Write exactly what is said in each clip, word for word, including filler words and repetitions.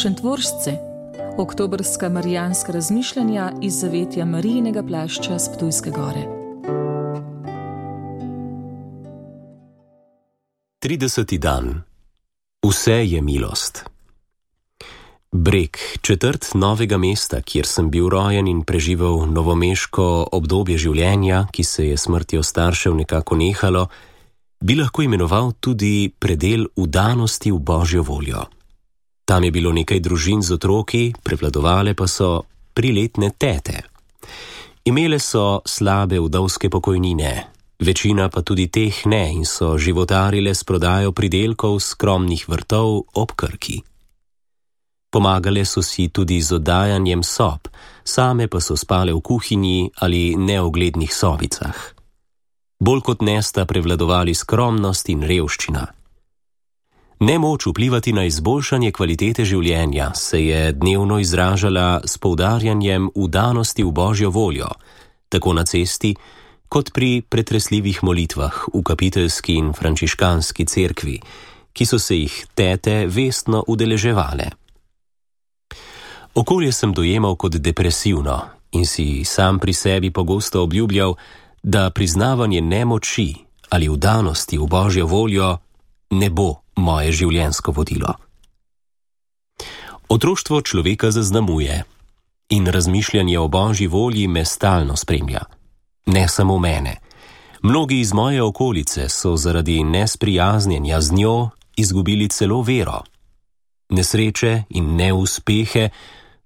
Šentvoržce, oktobrska marijanska razmišljanja iz zavetja Marijinega plašča s Ptujske gore. trideseti dan. Vse je milost. Breg, četrt Novega mesta, kjer sem bil rojen in preživel novomeško obdobje življenja, ki se je smrtjo staršev nekako nehalo, bi lahko imenoval tudi predel vdanosti v Božjo voljo. Tam je bilo nekaj družin z otroki, prevladovale pa so priletne tete. Imele so slabe vdovske pokojnine, večina pa tudi teh ne in so životarile s prodajo pridelkov skromnih vrtov ob Krki. Pomagale so si tudi z oddajanjem sob, same pa so spale v kuhinji ali neoglednih sobicah. Bolj kot ne sta prevladovali skromnost in revščina. Nemoč vplivati na izboljšanje kvalitete življenja se je dnevno izražala s poudarjanjem vdanosti v Božjo voljo, tako na cesti, kot pri pretresljivih molitvah v kapiteljski in frančiškanski cerkvi, ki so se jih tete vestno udeleževale. Okolje sem dojemal kot depresivno in si sam pri sebi pogosto obljubljal, da priznavanje nemoči ali vdanosti v Božjo voljo ne bo moje življenjsko vodilo. Otroštvo človeka zaznamuje in razmišljanje o Božji volji me stalno spremlja. Ne samo mene. Mnogi iz moje okolice so zaradi nesprijaznjenja z njo izgubili celo vero. Nesreče in neuspehe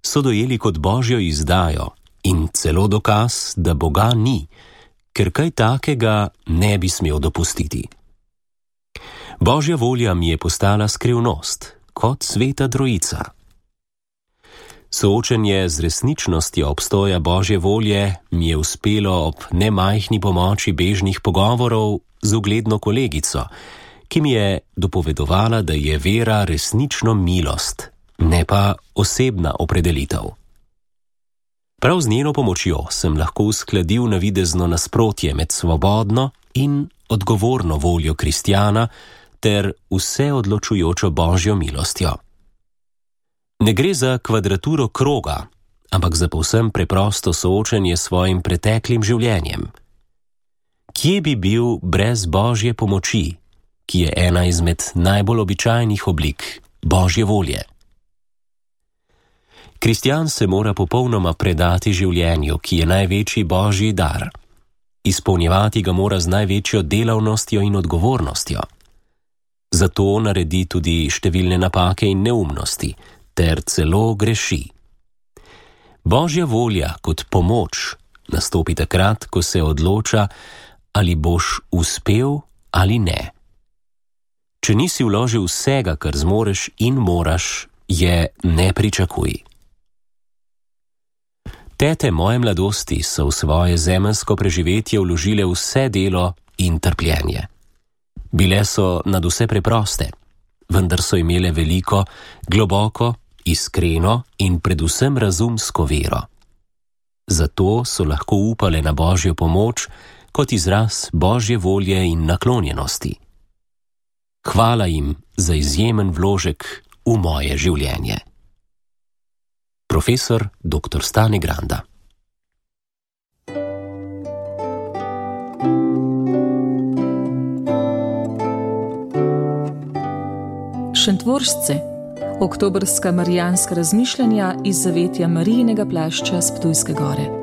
so dojeli kot Božjo izdajo in celo dokaz, da Boga ni, ker kaj takega ne bi smel dopustiti. Božja volja mi je postala skrivnost, kot sveta trojica. Soočenje z resničnostjo obstoja Božje volje mi je uspelo ob nemajhni pomoči bežnih pogovorov z ugledno kolegico, ki mi je dopovedovala, da je vera resnično milost, ne pa osebna opredelitev. Prav z njeno pomočjo sem lahko uskladil navidezno nasprotje med svobodno in odgovorno voljo kristjana ter vseodločujočo Božjo milostjo. Ne gre za kvadraturo kroga, ampak za povsem preprosto soočenje s svojim preteklim življenjem. Kje bi bil brez Božje pomoči, ki je ena izmed najbolj običajnih oblik Božje volje? Kristjan se mora popolnoma predati življenju, ki je največji Božji dar. Izpolnjevati ga mora z največjo delavnostjo in odgovornostjo. Zato naredi tudi številne napake in neumnosti, ter celo greši. Božja volja kot pomoč nastopi takrat, ko se odloča, ali boš uspel ali ne. Če nisi vložil vsega, kar zmoreš in moraš, je ne pričakuj. Tete moje mladosti so v svoje zemeljsko preživetje vložile vse delo in trpljenje. Bile so nadvse preproste, vendar so imele veliko, globoko, iskreno in predvsem razumsko vero. Zato so lahko upale na Božjo pomoč kot izraz Božje volje in naklonjenosti. Hvala jim za izjemen vložek v moje življenje. Profesor doktor Stane Granda. Šentvoržce, oktobrska marijanska razmišljanja iz zavetja Marijinega plašča s Ptujske gore.